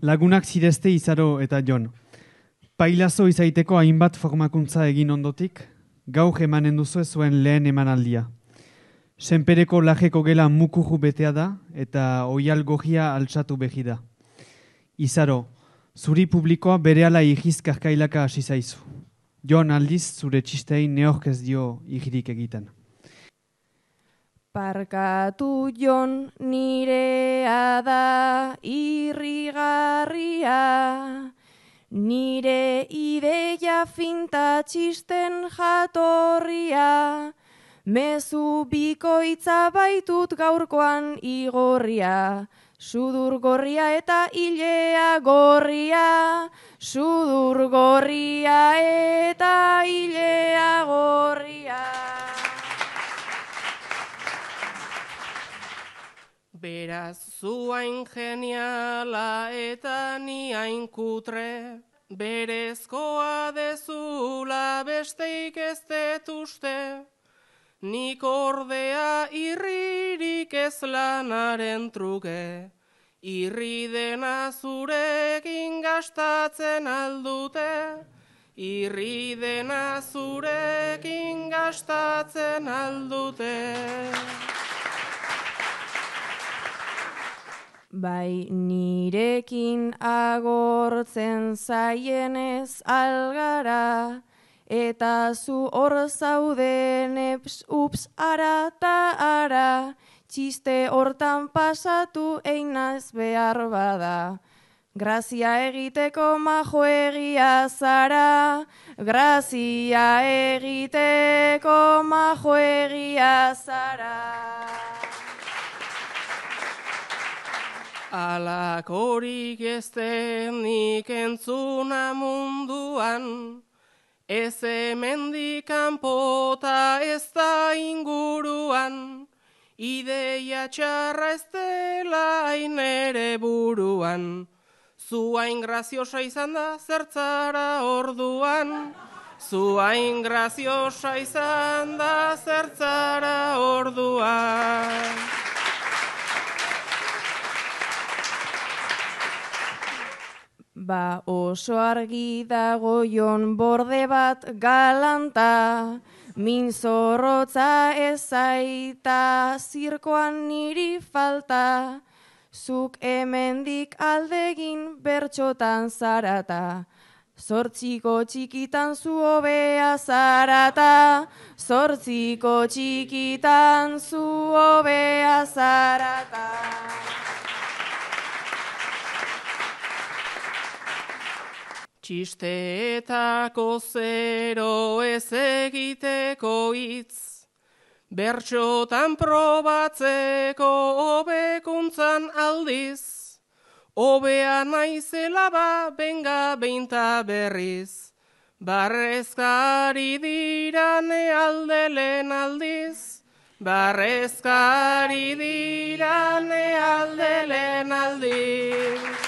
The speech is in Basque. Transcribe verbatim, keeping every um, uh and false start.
Lagunak zirezte Izaro eta Jon. Pailazo izaiteko hainbat formakuntza egin ondotik, gaur emanen duzu zuen lehen emanaldia. Senpereko lajeko gela mukuru betea da eta oial gorria altsatu behi da. Izaro, zuri publikoa berehala igiz karkailaka hasi zaizu. Jon aldiz zure txistei neork ez dio igirik egiten. Barkatu Jon, nirea da irrigarria, nire ideia finta txisten jatorria, mezu bikoitza baitut gaurkoan igorria, sudur gorria eta ilea gorria, sudur gorria eta ilea gorria. Beraz, zu hain geniala eta ni hain kutre, berezkoa dezula besteik ez dut uste, nik ordea irririk ez lanaren truke, irri dena zurekin gastatzen aldute, irri dena zurekin gastatzen aldute. Bai nirekin agortzen zaienez algara, eta zu hor zauden eps, ups, ara ta ara, txiste hortan pasatu einaz behar bada. Grazia egiteko majo egia zara, grazia egiteko majo egia zara. Alakorik ez denik entzuna munduan, ez hemendik kanpota ez da inguruan, ideia txarra ez dela hain ere buruan, zu hain graziosa izan da zertzara orduan, zu hain graziosa izan da zertzara orduan. Ba oso argi dago Jon borde bat galanta, min zorrotza ez aita zirkoan niri falta, zuk hemendik aldegin bertxotan zarata, zortziko txikitan zu hobea zarata, zortziko txikitan zu hobea zarata. Txisteetako zero ez egiteko hitz, bertxotan probatzeko hobekuntzan aldiz, hobea naizela ba benga beinta berriz, barrezkari dirane aldelen aldiz, barrezkari dirane aldelen aldiz.